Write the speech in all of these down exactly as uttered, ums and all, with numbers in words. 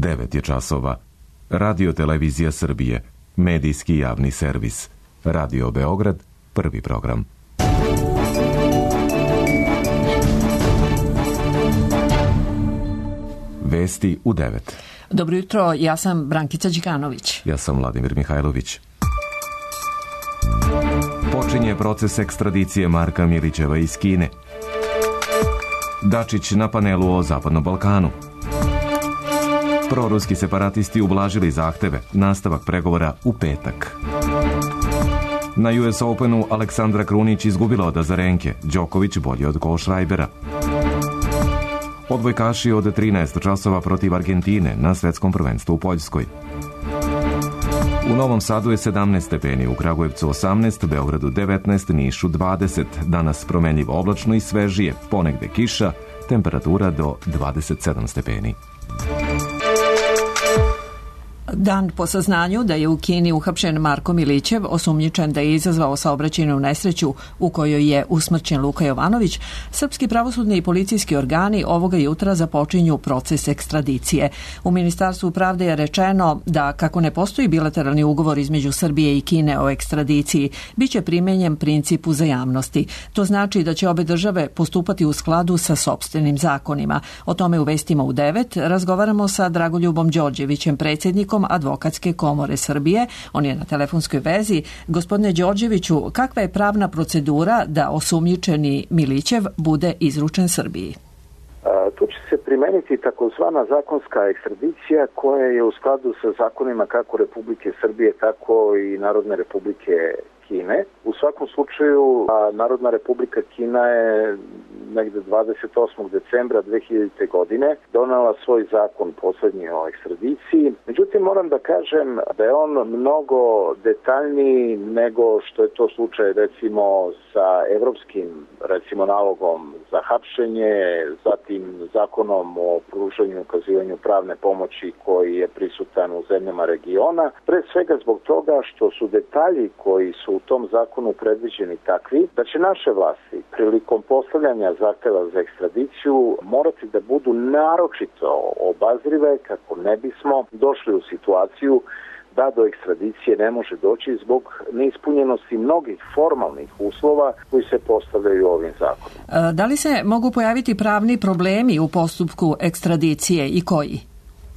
devet je časova. Radio Televizija Srbije, medijski javni servis. Radio Beograd, prvi program. Vesti u devet. Dobro jutro, ja sam Brankica Đikanović. Ja sam Vladimir Mihajlović. Počinje proces ekstradicije Marka Milićeva iz Kine. Dačić na panelu o Zapadnom Balkanu. Proruski separatisti ublažili zahteve, nastavak pregovora u petak. Na U S Openu Aleksandra Krunić izgubila od Azarenke, Đoković bolji od Kohlschreibera. Odbojkaši od trinaest časova protiv Argentine na svetskom prvenstvu u Poljskoj. U Novom Sadu je sedamnaest stepeni, u Kragujevcu osamnaest, Beogradu devetnaest, Nišu dvadeset. Danas promenljivo oblačno i svežije, ponegde kiša, temperatura do dvadeset sedam stepeni. Dan po saznanju da je u Kini uhapšen Marko Milićev, osumnjičen da je izazvao saobraćajnu nesreću u kojoj je usmrćen Luka Jovanović, srpski pravosudni i policijski organi ovoga jutra započinju proces ekstradicije. U Ministarstvu pravde je rečeno da, kako ne postoji bilateralni ugovor između Srbije i Kine o ekstradiciji, biće primenjen princip uzajamnosti. To znači da će obe države postupati u skladu sa sopstvenim zakonima. O tome u vestima u devet razgovaramo sa Dragoljubom Đorđevićem, predsjednikom Advokatske komore Srbije. On je na telefonskoj vezi. Gospodine Đorđeviću, kakva je pravna procedura da osumnjičeni Milićev bude izručen Srbiji? A, tu će se primeniti takozvana zakonska ekstradicija koja je u skladu sa zakonima kako Republike Srbije, tako i Narodne Republike Kine. U svakom slučaju, a, Narodna Republika Kina je negde dvadeset osmog decembra dve hiljadite. godine donela svoj zakon poslednji o ekstradiciji. Međutim, moram da kažem da je on mnogo detaljniji nego što je to slučaj recimo sa evropskim recimo nalogom za hapšenje, zatim zakonom o pružanju i ukazivanju pravne pomoći koji je prisutan u zemljama regiona. Pre svega zbog toga što su detalji koji su u tom zakonu predviđeni takvi da će naše vlasti prilikom postavljanja zahteva za ekstradiciju morati da budu naročito obazrive kako ne bismo došli u situaciju da do ekstradicije ne može doći zbog neispunjenosti mnogih formalnih uslova koji se postavljaju ovim zakonom. Da li se mogu pojaviti pravni problemi u postupku ekstradicije i koji?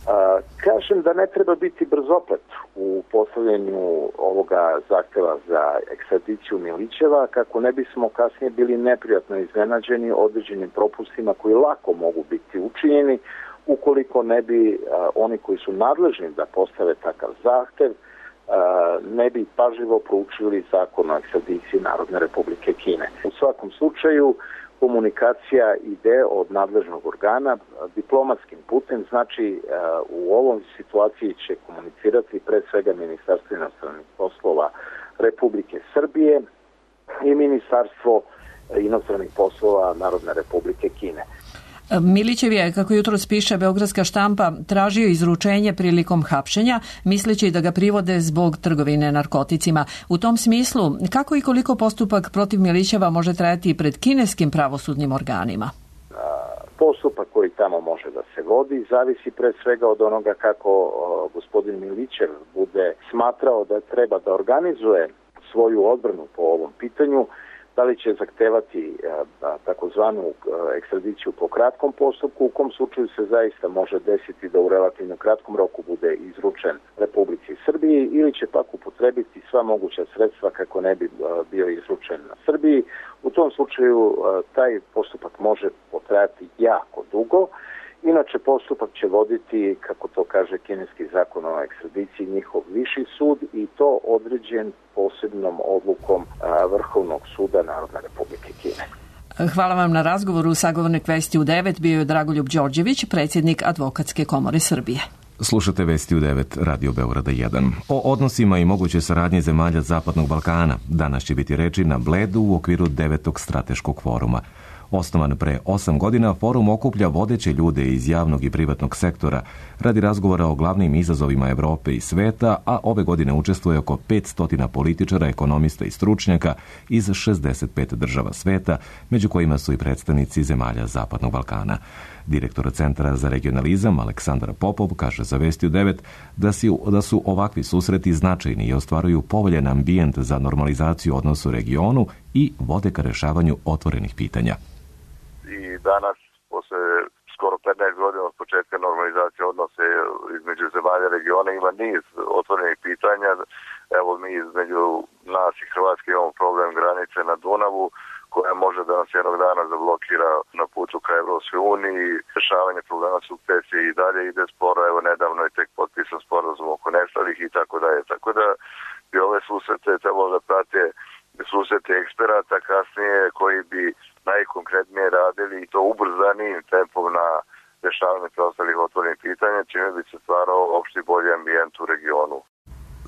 A, kažem da ne treba biti brzoplet u postavljanju ovoga zahteva za ekstradiciju Milićeva kako ne bismo kasnije bili neprijatno iznenađeni određenim propustima koji lako mogu biti učinjeni ukoliko ne bi a, oni koji su nadležni da postave takav zahtev a, ne bi pažljivo proučili zakon o ekstradiciji Narodne Republike Kine. U svakom slučaju komunikacija ide od nadležnog organa diplomatskim putem, znači u ovom situaciji će komunicirati pre svega Ministarstvo inostranih poslova Republike Srbije i Ministarstvo inostranih poslova Narodne Republike Kine. Milićev je, kako jutros piše Beogradska štampa, tražio izručenje prilikom hapšenja, misleći da ga privode zbog trgovine narkoticima. U tom smislu, kako i koliko postupak protiv Milićeva može trajati pred kineskim pravosudnim organima? Postupak koji tamo može da se vodi zavisi pre svega od onoga kako o, gospodin Milićev bude smatrao da treba da organizuje svoju odbranu po ovom pitanju. Da li će zahtevati a, takozvanu a, ekstradiciju po kratkom postupku, u kom slučaju se zaista može desiti da u relativno kratkom roku bude izručen Republici Srbiji, ili će pak upotrebiti sva moguća sredstva kako ne bi a, bio izručen na Srbiji. U tom slučaju a, taj postupak može potrajati jako dugo. Inače, postupak će voditi, kako to kaže kineski zakon o ekstradiciji, njihov viši sud i to određen posebnom odlukom a, Vrhovnog suda Narodne Republike Kine. Hvala vam na razgovoru. Sagovornik Vesti u devet bio je Dragoljub Đorđević, predsjednik Advokatske komore Srbije. Slušate Vesti u devet, Radio Beograda jedan. O odnosima i moguće saradnje zemalja Zapadnog Balkana danas će biti reči na Bledu u okviru devetog strateškog foruma. Osnovan pre osam godina, forum okuplja vodeće ljude iz javnog i privatnog sektora radi razgovora o glavnim izazovima Evrope i sveta, a ove godine učestvuje oko petsto političara, ekonomista i stručnjaka iz šezdeset pet država sveta, među kojima su i predstavnici zemalja Zapadnog Balkana. Direktor Centra za regionalizam Aleksandar Popov kaže za Vesti u devet da, si, da su ovakvi susreti značajni i ostvaruju povoljan ambijent za normalizaciju odnosa u regionu i vode ka rešavanju otvorenih pitanja. I danas, posle skoro petnaest godina od početka normalizacije odnose između zemalja regiona, ima niz otvorenih pitanja. Evo mi između nas i Hrvatske imamo problem granice na Dunavu, koja može da nas jednog dana zablokira na putu ka Evropskoj uniji. Rešavanje problema sukcesije i dalje ide sporo. Evo nedavno je tek potpisan sporazum oko nestalih i tako dalje. Tako da bi ove susrete trebalo da prate susrete eksperata kasnije koji bi najkonkretnije radili i to ubrzanim tempom na rešavanje preostalih otvorenih pitanja, čime bi se stvarao opšti bolji ambijent u regionu.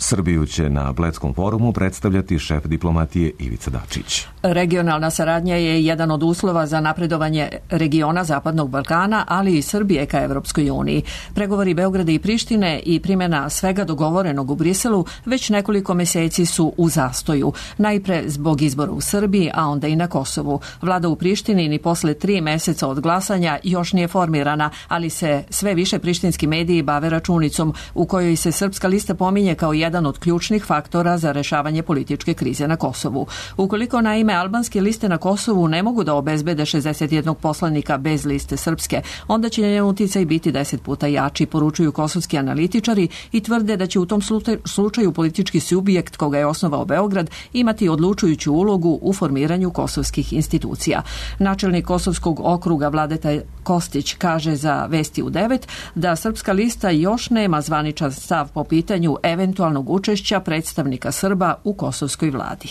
Srbiju će na Bledskom forumu predstavljati šef diplomatije Ivica Dačić. Regionalna saradnja je jedan od uslova za napredovanje regiona Zapadnog Balkana, ali i Srbije ka Evropskoj uniji. Pregovori Beograda i Prištine i primjena svega dogovorenog u Briselu već nekoliko meseci su u zastoju. Najpre zbog izbora u Srbiji, a onda i na Kosovu. Vlada u Prištini ni posle tri meseca od glasanja još nije formirana, ali se sve više prištinski mediji bave računicom u kojoj se Srpska lista pominje kao jedan jedan od ključnih faktora za rešavanje političke krize na Kosovu. Ukoliko naime albanske liste na Kosovu ne mogu da obezbede šezdeset jednog poslanika bez liste srpske, onda će njen uticaj biti deset puta jači, poručuju kosovski analitičari i tvrde da će u tom slučaju politički subjekt koga je osnovao Beograd imati odlučujuću ulogu u formiranju kosovskih institucija. Načelnik Kosovskog okruga Vladeta Kostić kaže za Vesti u devet da Srpska lista još nema zvaničan stav po pitanju eventualnog učešća predstavnika Srba u kosovskoj vladi.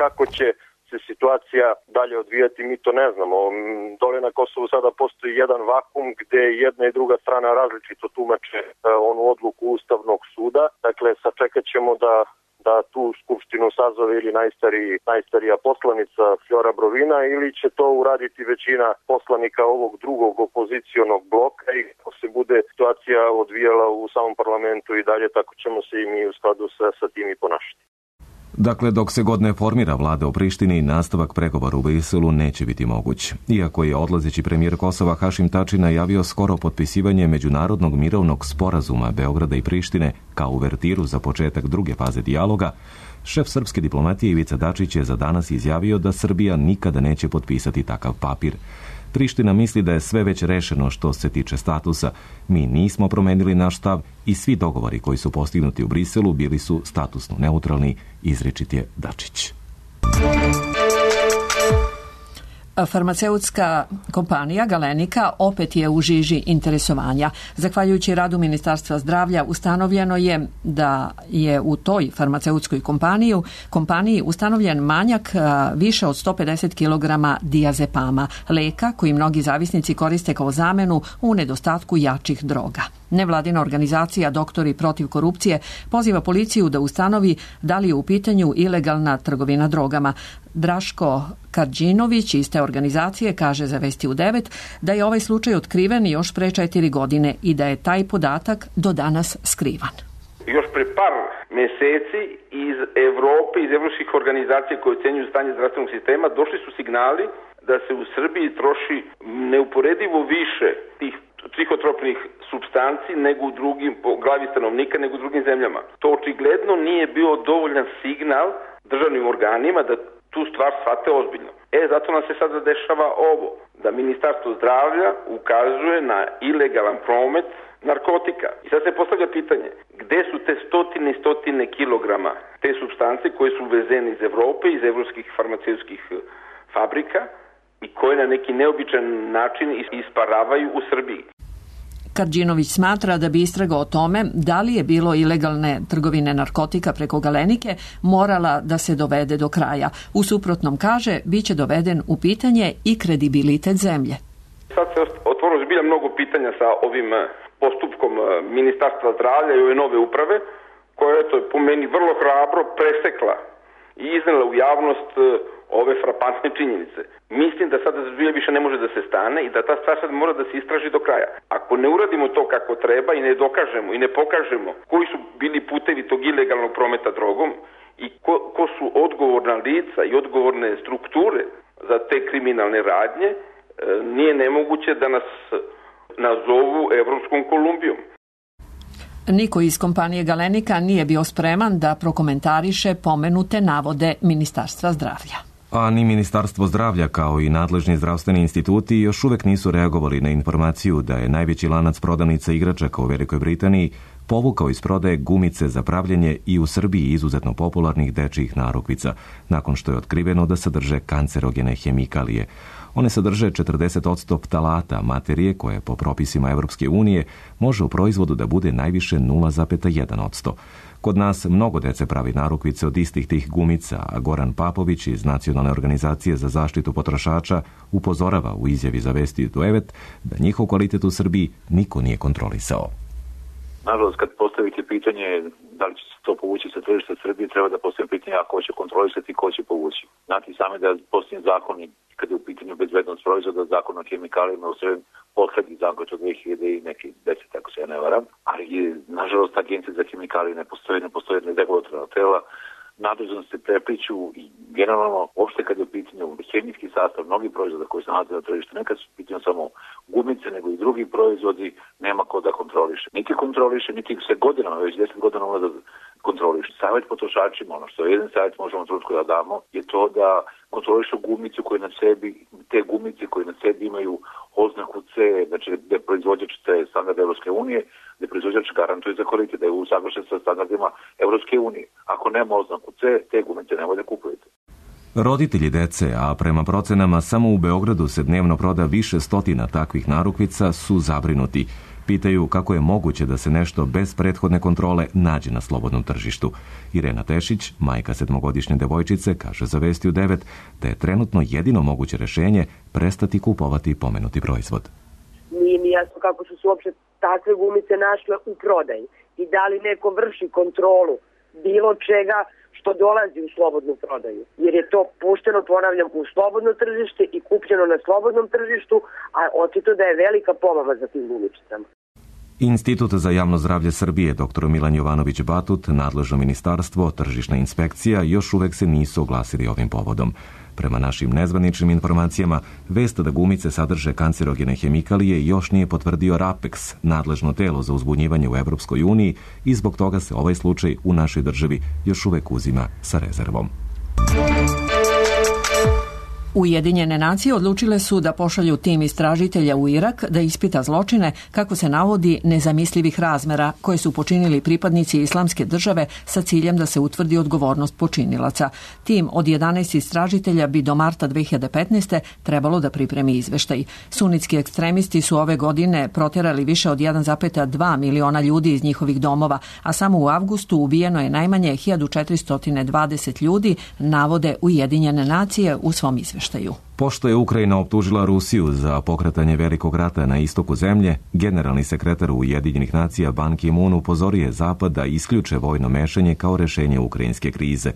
Kako će se situacija dalje odvijati, mi to ne znamo. Dole na Kosovu sada postoji jedan vakum gde jedna i druga strana različito tumače onu odluku Ustavnog suda. Dakle, sačekat ćemo da da tu skupštinu sazove ili najstariji, najstarija poslanica Flora Brovina ili će to uraditi većina poslanika ovog drugog opozicionog bloka i kako se bude situacija odvijala u samom parlamentu i dalje, tako ćemo se i mi u skladu sa, sa tim i ponašati. Dakle, dok se god ne formira vlada u Prištini, nastavak pregovora u Briselu neće biti moguć. Iako je odlazeći premijer Kosova Hašim Tači najavio skoro potpisivanje međunarodnog mirovnog sporazuma Beograda i Prištine kao uvertiru za početak druge faze dijaloga, šef srpske diplomatije Ivica Dačić je za danas izjavio da Srbija nikada neće potpisati takav papir. Priština misli da je sve već rešeno što se tiče statusa. Mi nismo promenili naš stav i svi dogovori koji su postignuti u Briselu bili su statusno neutralni, izričit je Dačić. Farmaceutska kompanija Galenika opet je u žiži interesovanja. Zahvaljujući radu Ministarstva zdravlja ustanovljeno je da je u toj farmaceutskoj kompaniji, kompaniji ustanovljen manjak više od sto pedeset kilograma diazepama, leka koji mnogi zavisnici koriste kao zamenu u nedostatku jačih droga. Nevladina organizacija Doktori protiv korupcije poziva policiju da ustanovi da li je u pitanju ilegalna trgovina drogama. Draško Karđinović iz te organizacije kaže za Vesti u devet da je ovaj slučaj otkriven još pre četiri godine i da je taj podatak do danas skrivan. Još pre par meseci iz Evrope, iz evropskih organizacija koje ocenjuju stanje zdravstvenog sistema, došli su signali da se u Srbiji troši neuporedivo više tih psihotropnih supstanci nego u drugim, po glavi stanovnika, nego u drugim zemljama. To očigledno nije bio dovoljan signal državnim organima da tu stvar shvate ozbiljno. E, zato nam se sada dešava ovo, da Ministarstvo zdravlja ukazuje na ilegalan promet narkotika. I sad se postavlja pitanje, gde su te stotine i stotine kilograma te supstance koje su uvezene iz Evrope, iz evropskih farmaceutskih fabrika i koje na neki neobičan način isparavaju u Srbiji. Karđinović smatra da bi istraga o tome da li je bilo ilegalne trgovine narkotika preko Galenike morala da se dovede do kraja. U suprotnom, kaže, bit će doveden u pitanje i kredibilitet zemlje. Sad se otvorilo zbilja mnogo pitanja sa ovim postupkom Ministarstva zdravlja i ove nove uprave, koja je to po meni vrlo hrabro presekla i iznela u javnost ove frapantne činjenice. Mislim da sada zbilja više ne može da se stane i da ta stvar sad mora da se istraži do kraja. Ako ne uradimo to kako treba i ne dokažemo i ne pokažemo koji su bili putevi tog ilegalnog prometa drogom i ko, ko su odgovorna lica i odgovorne strukture za te kriminalne radnje, nije nemoguće da nas nazovu Evropskom Kolumbijom. Niko iz kompanije Galenika nije bio spreman da prokomentariše pomenute navode Ministarstva zdravlja. A ni Ministarstvo zdravlja kao i nadležni zdravstveni instituti još uvek nisu reagovali na informaciju da je najveći lanac prodavnica igračaka u Velikoj Britaniji povukao iz prodaje gumice za pravljenje i u Srbiji izuzetno popularnih dečijih narukvica, nakon što je otkriveno da sadrže kancerogene hemikalije. One sadrže četrdeset posto ptalata, materije koje po propisima Evropske unije može u proizvodu da bude najviše nula zarez jedan posto. Kod nas mnogo dece pravi narukvice od istih tih gumica, a Goran Papović iz Nacionalne organizacije za zaštitu potrošača upozorava u izjavi za Vesti devet da njihov kvalitet u Srbiji niko nije kontrolisao. Nažalost, kad postavite pitanje da li će se to povući sa tržišta Srbije, treba da postavim pitanje a ko će kontrolisati i ko će povući. Znate sami da posljednji zakoni, kad je u pitanju bezbednost proizvoda, zakon o hemikalijama u Srbiji, poslednji zakon od dve hiljade i neki deset, ako se ja ne varam, ali je, nažalost, agencija za hemikalije ne postoji, ne postoji regulatorna tela, nadležnosti se prepliću i generalno, uopšte kad je u pitanju hemijski sastav mnogih proizvoda koji se nalaze na tržištu, nekad su u pitanju samo gumice, nego i drugi proizvodi, nema ko da kontroliše. Niti kontroliše, niti se godinama, već deset godina može da kontroliše. Savjet potrošačima, ono što jedan savjet možemo trutko da damo, je to da kontrolišu gumicu koje na sebi, te gumice koje na sebi imaju oznaku C, znači da je proizvođač C standard Evropske unije, da je proizvođač garantuje za kvalitet, da je usaglašen sa standardima Evropske unije. Ako nema oznaku C, te gumice nemoj da kupujete. Roditelji dece, a prema procenama samo u Beogradu se dnevno proda više stotina takvih narukvica, su zabrinuti. Pitaju kako je moguće da se nešto bez prethodne kontrole nađe na slobodnom tržištu. Irena Tešić, majka sedmogodišnje devojčice, kaže za Vestiju devet da je trenutno jedino moguće rešenje prestati kupovati pomenuti proizvod. Nije mi jasno kako su se uopšte takve gumice našle u prodaji i da li neko vrši kontrolu bilo čega što dolazi u slobodnu prodaju. Jer je to pušteno, ponavljam, u slobodno tržište i kupljeno na slobodnom tržištu, a očito da je velika pomama za tim gumicama. Institut za javno zdravlje Srbije, dr Milan Jovanović Batut, nadležno ministarstvo, tržišna inspekcija još uvek se nisu oglasili ovim povodom. Prema našim nezvaničnim informacijama, vest da gumice sadrže kancerogene hemikalije još nije potvrdio RAPEX, nadležno telo za uzbunjivanje u Evropskoj uniji, i zbog toga se ovaj slučaj u našoj državi još uvek uzima sa rezervom. Ujedinjene nacije odlučile su da pošalju tim istražitelja u Irak da ispita zločine, kako se navodi, nezamislivih razmera koje su počinili pripadnici Islamske države sa ciljem da se utvrdi odgovornost počinilaca. Tim od jedanaest istražitelja bi do marta dve hiljade petnaeste. trebalo da pripremi izveštaj. Sunitski ekstremisti su ove godine proterali više od jedan zarez dva miliona ljudi iz njihovih domova, a samo u avgustu ubijeno je najmanje hiljadu četiristo dvadeset ljudi, navode Ujedinjene nacije u svom izveštaju. Pošto je Ukrajina optužila Rusiju za pokretanje velikog rata na istoku zemlje, generalni sekretar Ujedinjenih nacija Ban Ki-moon upozorio je Zapad da isključe vojno mešanje kao rešenje ukrajinske krize.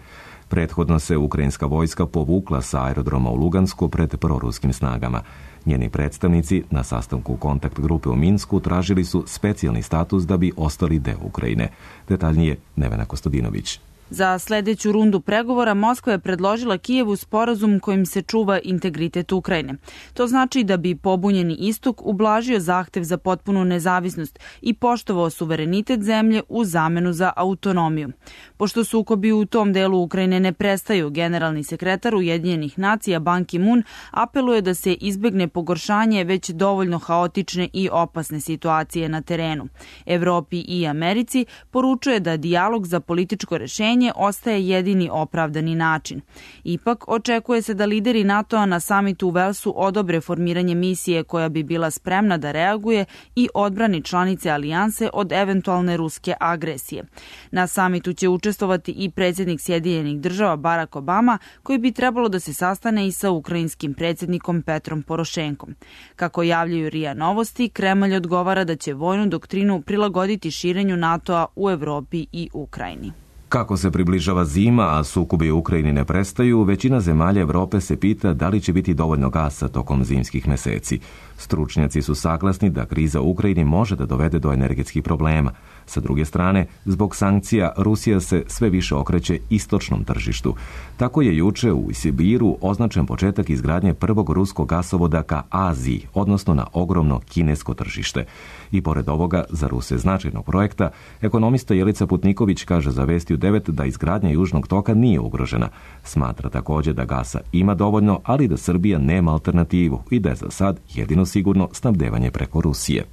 Prethodno se ukrajinska vojska povukla sa aerodroma u Lugansku pred proruskim snagama. Njeni predstavnici na sastanku kontakt grupe u Minsku tražili su specijalni status da bi ostali deo Ukrajine. Detaljnije Nevena Kostadinović. Za sledeću rundu pregovora Moskva je predložila Kijevu sporazum kojim se čuva integritet Ukrajine. To znači da bi pobunjeni istok ublažio zahtev za potpunu nezavisnost i poštovao suverenitet zemlje u zamenu za autonomiju. Pošto sukobi u tom delu Ukrajine ne prestaju, generalni sekretar Ujedinjenih nacija Ban Ki-moon apeluje da se izbegne pogoršanje već dovoljno haotične i opasne situacije na terenu. Evropi i Americi poručuje da dijalog za političko rešenje ostaje jedini opravdani način. Ipak, očekuje se da lideri NATO-a na samitu u Velsu odobre formiranje misije koja bi bila spremna da reaguje i odbrani članice alijanse od eventualne ruske agresije. Na samitu će učestvovati i predsjednik Sjedinjenih država Barack Obama, koji bi trebalo da se sastane i sa ukrajinskim predsjednikom Petrom Porošenkom. Kako javljaju R I A Novosti, Kremlj odgovara da će vojnu doktrinu prilagoditi širenju NATO-a u Evropi i Ukrajini. Kako se približava zima, a sukobi u Ukrajini ne prestaju, većina zemalja Evrope se pita da li će biti dovoljno gasa tokom zimskih meseci. Stručnjaci su saglasni da kriza u Ukrajini može da dovede do energetskih problema. Sa druge strane, zbog sankcija, Rusija se sve više okreće istočnom tržištu. Tako je juče u Sibiru označen početak izgradnje prvog ruskog gasovoda ka Aziji, odnosno na ogromno kinesko tržište. I pored ovoga, za Ruse značajnog projekta, ekonomista Jelica Putniković kaže za Vesti u devet da izgradnja Južnog toka nije ugrožena. Smatra također da gasa ima dovoljno, ali da Srbija nema alternativu i da je za sad jedino sigurno snabdevanje preko Rusije.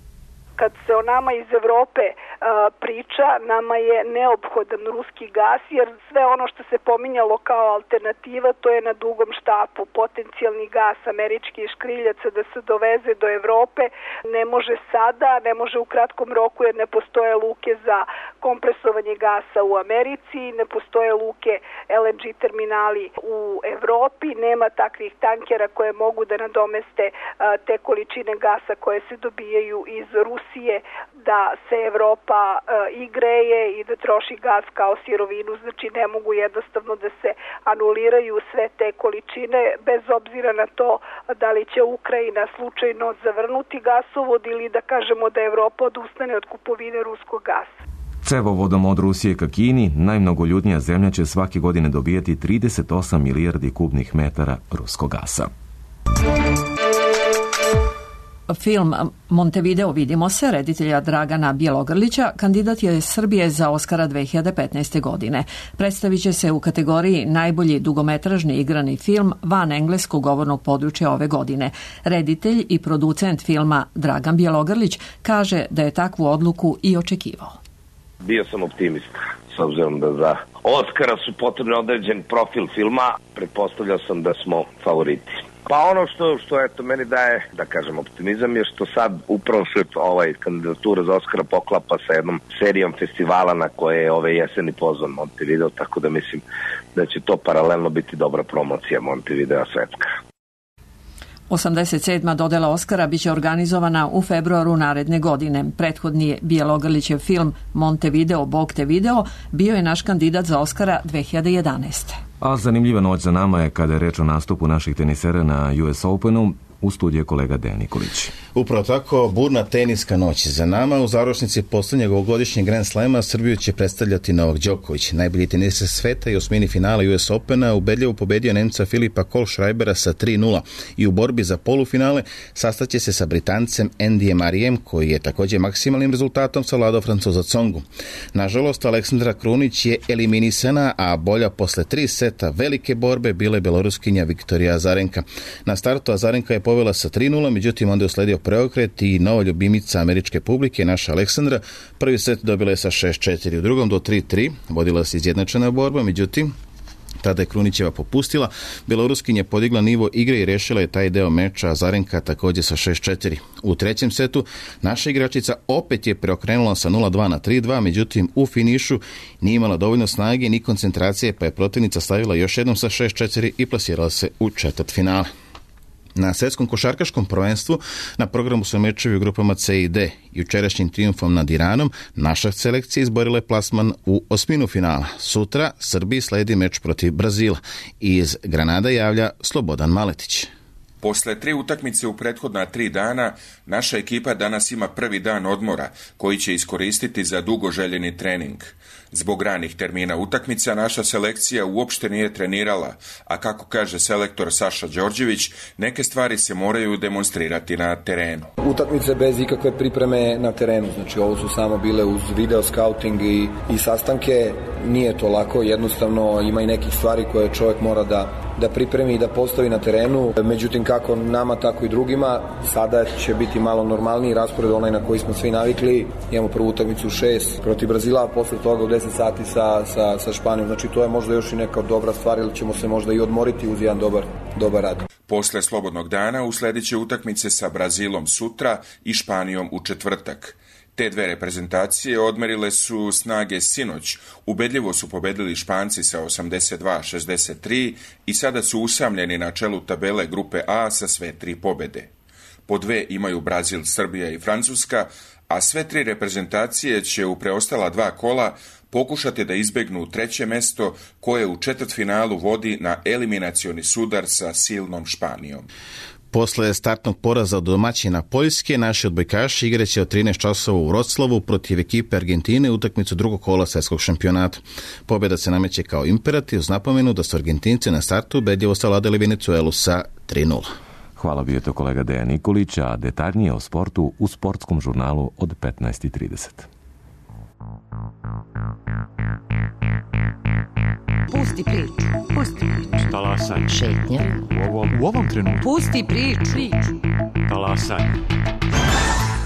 Kad se o nama iz Evrope uh, priča, nama je neophodan ruski gas, jer sve ono što se pominjalo kao alternativa, to je na dugom štapu. Potencijalni gas američkih škriljaca da se doveze do Evrope ne može sada, ne može u kratkom roku, jer ne postoje luke za kompresovanje gasa u Americi, ne postoje luke el en ge terminali u Evropi, nema takvih tankera koje mogu da nadomeste uh, te količine gasa koje se dobijaju iz Rusije, da se Evropa e, i greje i da troši gas kao sirovinu, znači ne mogu jednostavno da se anuliraju sve te količine, bez obzira na to da li će Ukrajina slučajno zavrnuti gasovod ili da kažemo da Evropa odustane od kupovine ruskog gasa. Cevovodom od Rusije ka Kini, najmnogoljudnija zemlja će svake godine dobijati trideset osam milijardi kubnih metara ruskog gasa. Film Montevideo vidimo se reditelja Dragana Bjelogrlića kandidat je Srbije za Oskara dve hiljade petnaeste. godine. Predstavit će se u kategoriji najbolji dugometražni igrani film van engleskog govornog područja ove godine. Reditelj i producent filma Dragan Bjelogrlić kaže da je takvu odluku i očekivao. Bio sam optimista, s obzirom da za Oskara su potrebni određen profil filma, pretpostavljao sam da smo favoriti. Pa ono što, što eto, meni daje, da kažem, optimizam je što sad upravo se ovaj kandidatura za Oskara poklapa sa jednom serijom festivala na koje je ove jeseni pozvan Montevideo, tako da mislim da će to paralelno biti dobra promocija Montevidea svetska. osamdeset sedma dodela Oskara biće organizovana u februaru naredne godine. Prethodni Bjelogrlićev film Montevideo, Bog te video bio je naš kandidat za Oskara dve hiljade jedanaeste. A zanimljiva noć za nama je kada je reč o nastupu naših tenisera na U S Openu. U studiju kolega Dejan Nikolić. Upravo tako, burna teniska noć za nama. U završnici posljednjeg ovogodišnjeg Grand Slema Srbiju će predstavljati Novak Đoković. Najbolji teniser sveta i osmini finala U S Opena ubedljivo pobedio Nemca Filipa Kohlschreibera sa tri nula i u borbi za polufinale sastaće se sa Britancem Andyjem Murrayem, koji je također maksimalnim rezultatom savladao Francuza Tsongu. Nažalost, Aleksandra Krunić je eliminisana, a bolja posle tri seta velike borbe bila je beloruskinja Viktorija Azarenka. Na startu Azarenka je povela sa tri nula, međutim onda je usledio preokret i nova ljubimica američke publike, naša Aleksandra. Prvi set dobila je sa šest četiri, u drugom do tri tri, vodila se izjednačena borba, međutim tada je Krunićeva popustila. Beloruskinja je podigla nivo igre i rešila je taj deo meča, a Azarenka također sa šest četiri. U trećem setu naša igračica opet je preokrenula sa nula dva na tri dva, međutim u finišu nije imala dovoljno snage ni koncentracije, pa je protivnica stavila još jednom sa šest četiri i plasirala se u četvrt finale. Na svetskom košarkaškom prvenstvu na programu su mečevi u grupama C i D. Jučerašnjim trijumfom nad Iranom naša selekcija izborila je plasman u osminu finala. Sutra Srbiji sledi meč protiv Brazila. Iz Granada javlja Slobodan Maletić. Posle tri utakmice u prethodna tri dana, naša ekipa danas ima prvi dan odmora, koji će iskoristiti za dugo željeni trening. Zbog ranih termina utakmica naša selekcija uopšte nije trenirala, a kako kaže selektor Saša Đorđević, neke stvari se moraju demonstrirati na terenu. Utakmice bez ikakve pripreme na terenu, znači ovo su samo bile uz video scouting i, i sastanke, nije to lako, jednostavno ima i nekih stvari koje čovjek mora da da pripremi i da postavi na terenu. Međutim, kako nama, tako i drugima, sada će biti malo normalniji raspored, onaj na koji smo svi navikli. Imamo prvu utakmicu u šest protiv Brazila, a posle toga u deset sati sa, sa, sa Španijom. Znači, to je možda još i neka dobra stvar, ili ćemo se možda i odmoriti uz jedan dobar, dobar rad. Posle slobodnog dana usledit će utakmice sa Brazilom sutra i Španijom u četvrtak. Te dve reprezentacije odmerile su snage sinoć, ubedljivo su pobedili Španci sa osamdeset dva šezdeset tri i sada su usamljeni na čelu tabele grupe A sa sve tri pobede. Po dve imaju Brazil, Srbija i Francuska, a sve tri reprezentacije će u preostala dva kola pokušati da izbegnu treće mesto koje u četvrtfinalu vodi na eliminacioni sudar sa silnom Španijom. Posle startnog poraza od domaćina Poljske, naši odbojkaši igraće od trinaest časova u Vroclavu protiv ekipe Argentine utakmicu drugog kola svetskog šampionata. Pobjeda se nameće kao imperativ uz napomenu da su Argentinci na startu ubedljivo savladali Venecuelu sa tri nula. Hvala, bio je to kolega Dejan Nikolić, a detaljnije o sportu u sportskom žurnalu od petnaest i trideset. Pusti priču, pusti priču. Talasanje. Šetnja. U ovom, u ovom trenutku. Pusti priču. Talasanje.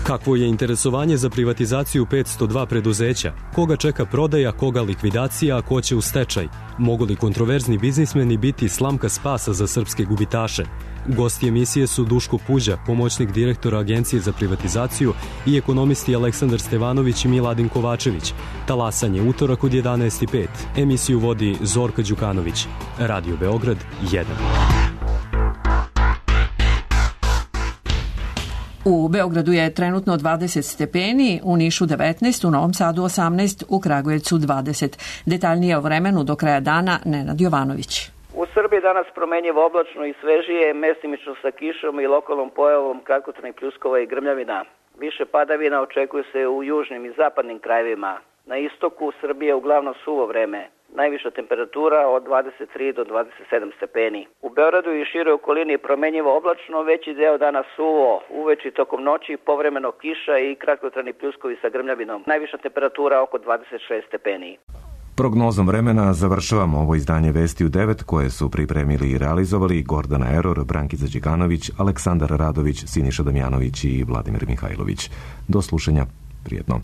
Kakvo je interesovanje za privatizaciju petsto dva preduzeća? Koga čeka prodaja, koga likvidacija, a ko će u stečaj? Mogu li kontroverzni biznismeni biti slamka spasa za srpske gubitaše? Gosti emisije su Duško Puđa, pomoćnik direktora Agencije za privatizaciju, i ekonomisti Aleksandar Stevanović i Miladin Kovačević. Talasanje utorak od jedanaest i pet. Emisiju vodi Zorka Đukanović. Radio Beograd jedan. U Beogradu je trenutno dvadeset stepeni, u Nišu devetnaest, u Novom Sadu osamnaest, u Kragujevcu dvadeset. Detaljnije o vremenu do kraja dana Nenad Jovanović. U Srbiji danas promenjivo oblačno i svežije, mestimično sa kišom i lokalnom pojavom kratkotrajnih pljuskova i grmljavina. Više padavina očekuje se u južnim i zapadnim krajevima. Na istoku Srbije uglavnom suvo vreme. Najviša temperatura od dvadeset tri do dvadeset sedam stepeni. U Beogradu i široj okolini promenjivo oblačno, veći deo dana suvo, uveče tokom noći povremeno kiša i kratkotrajni pljuskovi sa grmljavinom. Najviša temperatura oko dvadeset šest stepeni. Prognozom vremena završavamo ovo izdanje Vesti u devet koje su pripremili i realizovali Gordana Eror, Brankica Đikanović, Aleksandar Radović, Siniša Damjanović i Vladimir Mihajlović. Do slušanja, prijetno.